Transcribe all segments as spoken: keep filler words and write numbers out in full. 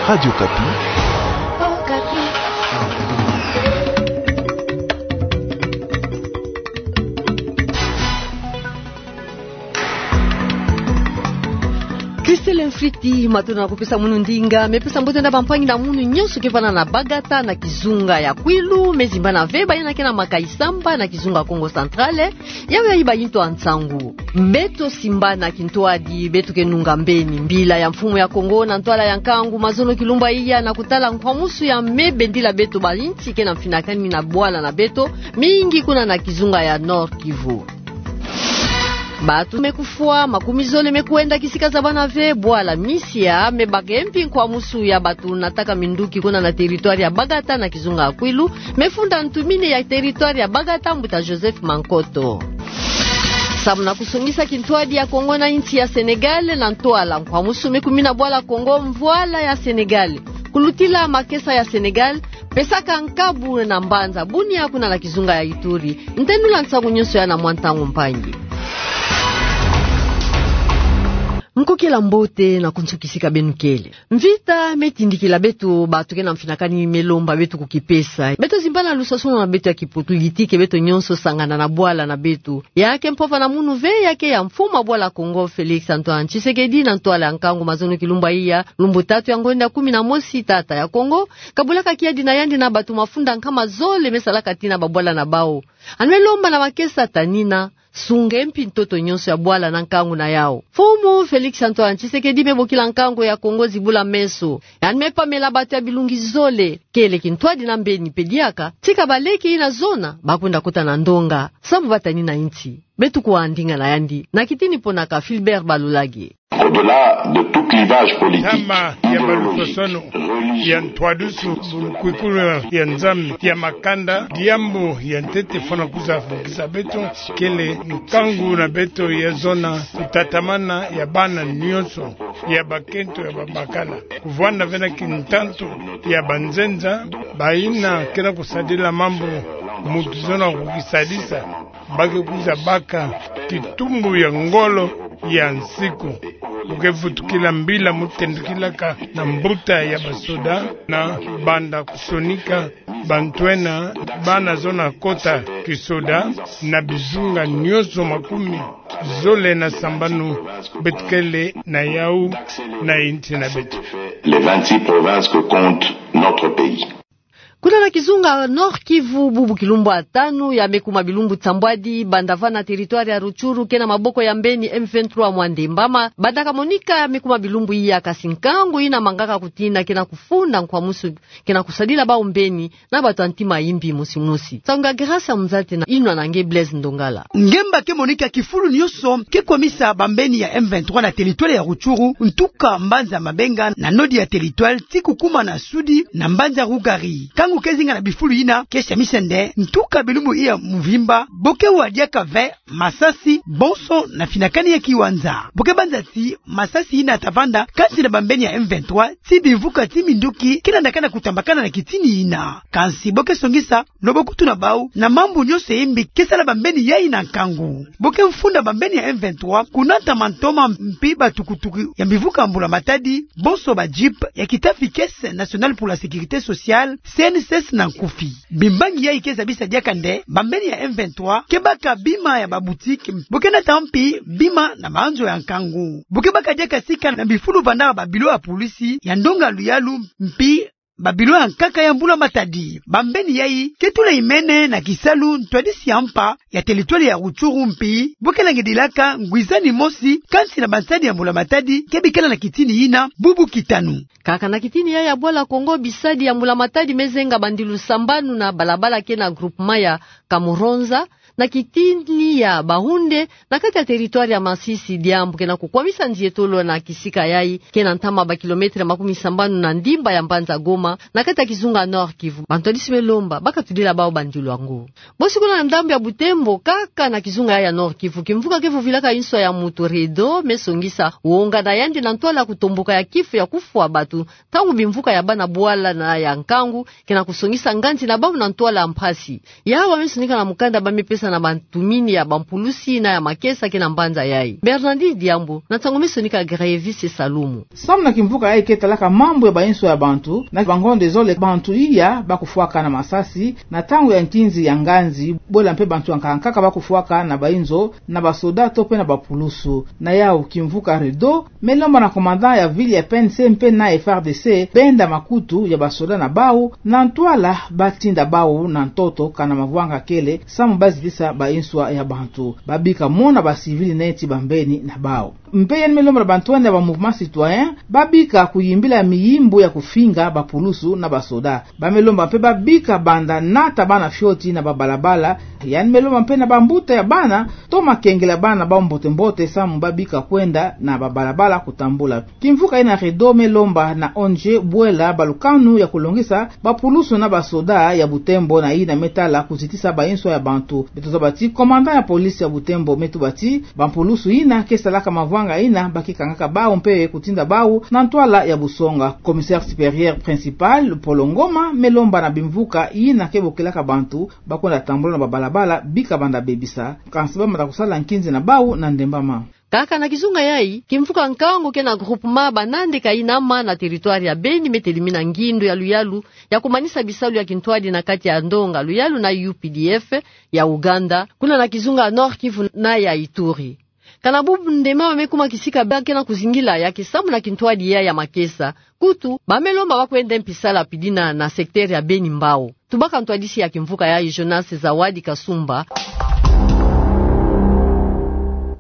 Radio Okapi. Christelle Mfriti, matondo na kupesa munu ndinga, me pesa mbote na bampangi na munu nyonso ke vanda na Bagata na kizunga ya Kwilu, me zimbana ve baina ke na Makayi-Samba na kizunga Kongo Central, yawe ya iba into a nsangu. Beto simbana kintwadi, beto ke nunga mbeni mbila ya mfumu ya Kongo na ntwala ya nkangu Mazono Kilumba iya na kutala nkwamusu ya me bendila beto ba insi ke na mfinakani na bwala na beto, mingi kuna na kizunga ya Nord-Kivu. Batu me kufwa, makumi zole me kwenda kisika zabana ve, bwala Misia me bake mpi nkwamusu ya batu nataka minduki kuna na territoire ya Bagata na kizunga ya Kwilu, me funda ntu mine ya territoire ya Bagata, mbuta Joseph Mankoto. Samu na kusongisa kintwadi ya Kongo na insi ya Sénégal, na ntwala nkwamusu me kumina bwala Kongo, mvwala ya Sénégal, kulutila makesa ya Sénégal, pesaka nkabu na mbanza Bunia kuna na kizunga ya Ituri. Ntenula nsangu nyonso ya na mwa ntangu mpangi. Nkokila mbote na kunsu kisika beno kele. Mvita me tindikila beto, batu ke na mfinakani me lomba beto kukipesa. Beto zimbana lusasulu na beto ya kipolitike, beto nyonso sangana na bwala na beto. Ya ke mpova na munu ve, ya ke ya mfumu a bwala Kongo, Félix Antoine Tshisekedi, na ntwala ya nkangu Mazono Kilumba iya, lumbu tatu ya ngonda kumi na mosi tata ya Kongo, kabulaka kiadi na yandi na batu mafunda nkama zole me salaka tina babwala na bau. Yandi me lomba na makesa ta nina, sunge mpi ntoto nyonso ya bwala na nkangu na yau. Mfumu Félix Antoine Tshisekedi me bokila nkangu ya Kongo zibula meso. Yandi me pamela batu ya bilungi zole, kele kintwadi na mbeni pe diaka, tika baleke ina zona, bakwenda kota na ndonga, samu bata nina insi. Beto kuwa ndinga na yandi na kitini ponaka Philbert Balolage. Au-delà de tout clivage politique, ntama ya balusosono, ya ntwadusu, bulukwikulu ya Nzambi, ya makanda, diambu ya ntete fwana kwiza bokisa beto, kele nkangu na beto ya zona, kutatamana ya bana nyonso, ya bakento, ya babakala. Kuvwanda ve na kintantu ya banzenza, baina ke na kusadila mambu mutu zona kukisadisa, ba ke kwiza baka kitumbu ya ngolo ya nsiku. Bu ke vutukila mbila mu tendukilaka na mbuta ya basoda, na banda kusonika bantwenia, bana zona kota kisoda, na bizunga nyonso makumi zole na sambanu beto kele na yau na insi na beto. Les vingt-six provinces que compte notre pays. Kuna na kizunga Nord-Kivu, bubu kilumbu ya tanu ya me kuma bilumbu nsambwadi, banda va na territoire ya Rutshuru ke na maboko ya mbeni M vingt-trois Mwandembama, banda kamonika ya me kuma bilumbu iya, kasi nkangu ina mangaka kutina ke na kufunda nkwamusu ke na kusadila bau mbeni na bato ya ntima yimbi mosi mosi. Nsangu ya Grâce Mzati na inwa na nge Blaise Ndongala. Ngemba ke monika kifulu nyonso ke kwamisa bambeni ya M vingt-trois na territoire ya Rutshuru, ntuka mbanza Mabenga na nord ya territoire, ti kukuma na sud na mbanza Rugari. Nkangu ke zinga na bifulu yina ke samisa nde ntuka bilumbu iya mvimba bo ke wa diaka ve masasi, bonso na finakani ya kiwanza. Bo ke banza ti masasi yina ta vanda kati na bambeni ya M vingt-trois ti bimvuka ti minduki ke landakana kutambakana na kitini yina. Kansi bo ke songisa loboko tuna bau na mambu nyonso yimbi ke sala bambeni yayi na nkangu. Bo ke mfunda bambeni ya M vingt-trois kuna ntama ntoma mpi batukutuku ya mbivuka mbula matadi, bonso ba jeep ya kitafi Caisse Nationale pour la Sécurité Sociale, C N S S na nkufi. Bimbangi yayi ke zabisa diaka nde bambeni ya M vingt-trois ke baka bima ya ba boutique, bo ke nata mpi bima na manzo ya nkangu. Bo ke baka diaka sika na bifulu vandaka ba bilo ya polisi, ya ndonga luyalu, mpi ba bilo ya nkaka ya mbula matadi. Bambeni yayi ke tula imene na kisalu ntwadisi ya mpa ya territoire ya Rutshuru, mpi bo ke langidilaka ngwizani mosi kati na bansadi ya mbula matadi ke bikala na kitini yina, bubu kitanu. Kaka na kitini yayi ya bwala Kongo, bisadi ya mbula matadi me zenga bandilu sambanu na balabala ke na groupement ya Kamuronza, na kitini ya Bahunde, na kati ya territoire ya Masisi, diambu ke na kukwamisa nzietolo na kisika yayi ke na ntama ba kilomètre makumi sambanu na ndimba ya mbanza Goma, na kati ya kizunga Nord-Kivu. Bantwadisi me lomba ba katudila bau bandilu yango. Bosi kuna na ndambu ya Butembo, kaka na kizunga ya Nord-Kivu, kimvuka ke vuvilaka inswa ya mutu Redo me songisa wonga na yandi na ntwala kutomboka ya kifu ya kufwa batu, ntangu bimvuka ya bana bwala na ya nkangu ke na kusongisa nganzi na bau na ntwala mpasi. Yawu ba me sonika na mukanda ba me pesa na bantumini ya bampulusi na ya makesa ke na mbanza yayi. Bernardine Diambu, na nsangu me sonika Grevis Salumu. Samu na kimvuka yayi ke talaka mambu ya bainso ya bantu, na bangonde zole bantu iya bakufwaka na masasi, na ntangu ya nkinzi ya nganzi, bwela mpe bantu ya nkaka nkaka bakufwaka na bainzo, na basoda to mpe na bapulusu. Na yau kimvuka REDO, me lomba na commandant ya ville ya P N C mpe na F R D C, benda makutu ya basoda na bau, na ntwala batinda bau na ntoto kana mavwanga kele, samu bazitisa bainso ya bantu. Babika mona bacivil neti bambeni na bau. Mpe yandi me lomba na bantwenia ba mouvement citoyen, babika kuyimbila miyimbu ya kufinga bapulusu na basoda. Ba me lomba mpe babika banda nata bana fioti na babalabala. Yandi me lomba mpe na bambuta ya bana, toma kengela bana bau mbote mbote samu babika kwenda na babalabala kutambula. Kimvuka yina REDO me lomba na O N G bwela balukanu ya kulongisa bapulusu na basoda ya Butembo na yina me tala kuzitisa bainso ya bantu. Beto zaba ti commandant ya police ya Butembo me tuba ti bampulusu yina ke salaka mavwanga yina, ba ke kangaka bau mpe kutinda bau na ntwala ya busonga. Commissaire supérieur principal Polo Ngoma me lomba na bimvuka yina ke bokelaka bantu bakwenda tambula na babalabala, bika banda bebisa, kansi bamata kusala nkinzi na bau na ndembama. Kaka na kizunga yayi, kimvuka nkangu ke na groupement Banande Kainama na territoire ya Beni me telimina ngindu ya luyalu ya kumanisa bisalu ya kintwadi na kati ya ndonga luyalu na U P D F ya Uganda, kuna na kizunga Nord-Kivu na ya Ituri. Kana bubu ndembama me kuma kisika ba ke na kuzingila ya ke samu na kintwadi ya ya makesa. Kutu, ba me lomba bakwenda mpisala pidina na secteur ya Beni Mbao. Tubaka ntwadisi ya kimvuka yayi Jonas Zawadi Kasumba.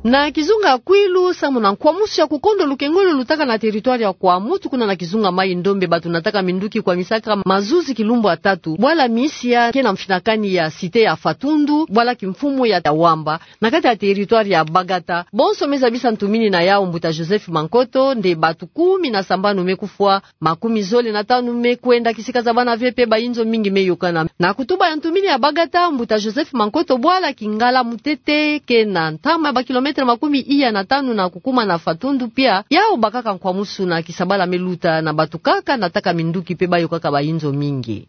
Na kizunga Kwilu, samu na nkwamusu ya kukondo lukengolo lutaka na territoire ya Kwamouth, kuna na kizunga Maï-Ndombe, bantu nataka minduki kwamisaka mazuzi kilumbu ya tatu bwala misia ke na mfinakani ya cité ya Fatundu, bwala kimfumu ya Wamba, na kati ya territoire ya Bagata. Bonso me zabisa ntumini na yau mbuta Joseph Mankoto, nde bantu kumi na sambanu me kufwa, makumi zole na tanu me kwenda, kisika za bana ve mpe bainzo mingi me yokana. Na kutuba ya ntumini ya Bagata, mbuta Joseph Mankoto, bwala Kingala Mutete ke na ntama ya bakilometre makumi iya na tanu na kukuma na Fatundu pia, yau bakaka nkwamusu na kisabala me luta na bantu kaka nataka minduki mpe bayokaka bainzo mingi.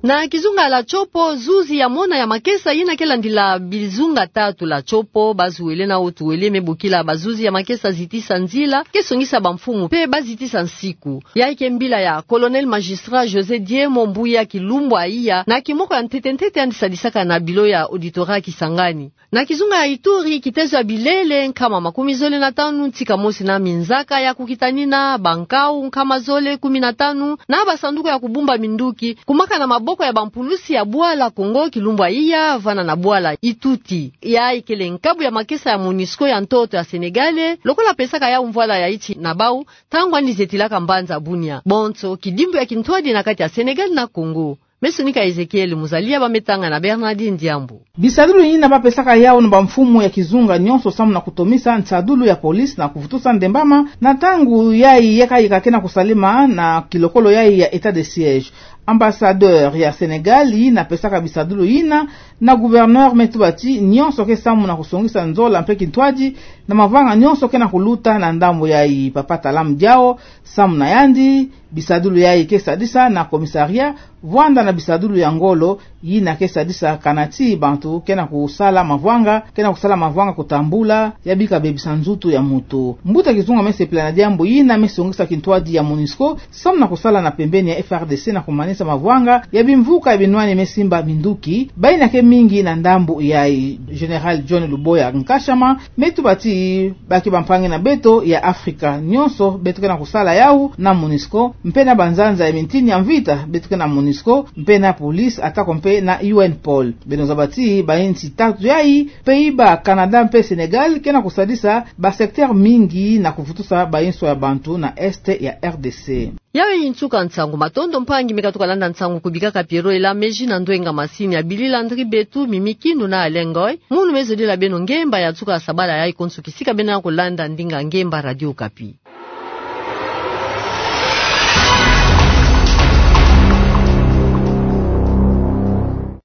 Na kizunga la Tshopo, zuzi ya mona ya makesa yina ke landila bizunga tatu la Tshopo, bazuele na otuele me bokila bazuzi ya makesa zitisa nzila, ke songisa bamfumu mpe bazitisa nsiku. Yayi ke mbila ya Colonel Magistrat José Diemo Mbuya Kilumbwa iya, na kimoko ya ntete ntete yandi sadisaka na bilo ya auditorat Kisangani. Na kizunga ya Ituri, kitezo ya bilele nkama makumi zole na tanu ntika mosi na minzaka ya kukitanina, bankau nkama zole kumi na tanu, na basanduku ya kubumba minduki, kumaka na maboko ya bampulusi ya bwala Congo Kilumbwa iya, vana na bwala Ituti. Yayi kele nkabu ya makesa ya Monusco ya ntoto ya Sénégal, lokola pesaka yau mvwala ya iti na bau, ntangu yandi zetilaka mbanza Bunia. Bonso, kidimbu ya kintwadi na kati ya Sénégal na Congo. Me sonika Ezekiel Muzalia, ba me tanga na Bernardine Diambu. Bisadulu yina bapesaka yau na bamfumu ya kizunga nyonso samu na kutomisa nsadulu ya police na kuvutusa ndembama, na ntangu yayi yeka yeka ke na kusalema na kilokolo yayi ya état de siège. Ambassadeur ya Sénégal yina pesaka bisadulu yina na gouverneur me tuba ti nyonso ke samu na kusongisa nzola mpe kintwadi na mavanga nyonso ke na kuluta na ndambu yayi. Papa Talam Diao, samu na yandi, bisadulu yayi ke sadisa na commissariat, vwanda na bisadulu ya ngolo, yina ke sadisa kana ti bantu ke na kusala mavanga, ke na kusala mavanga kutambula, ya bika bebisa nzutu ya mutu. Mbuta kizunga me sepela na diambu yina, me songisa kintwadi ya Monusco samu na kusala na pembeni ya F R D C na kumanisa mavanga ya bimvuka ya binwani me simba minduki, bayina ke mingi na ndambu yayi. Général John Luboya Nkashama me tuba ti ba ke bampangi na beto ya Afrika nyonso, beto ke na kusala yau na Monusco, mpe na banzanza ya mintini ya mvita, beto ke na Monusco, mpe na police, atako mpe na U N Pol. Beno zaba ti bainsi tatu yayi, Pays-Bas, Canada mpe Sénégal, ke na kusadisa basecteur mingi na kuvutusa bainso ya bantu na est ya R D C. Yayi nsuka nsangu. Matondo mpangi me katuka landa nsangu, kubikaka Pierrot Elameji na ndwenga masini ya Billy Landry Betu, Mimi Kindu na Alain Ngoy. Munu me zodila beno ngemba ya nsuka ya sabala yayi konso kisika beno na kulanda ndinga ngemba Radio Okapi.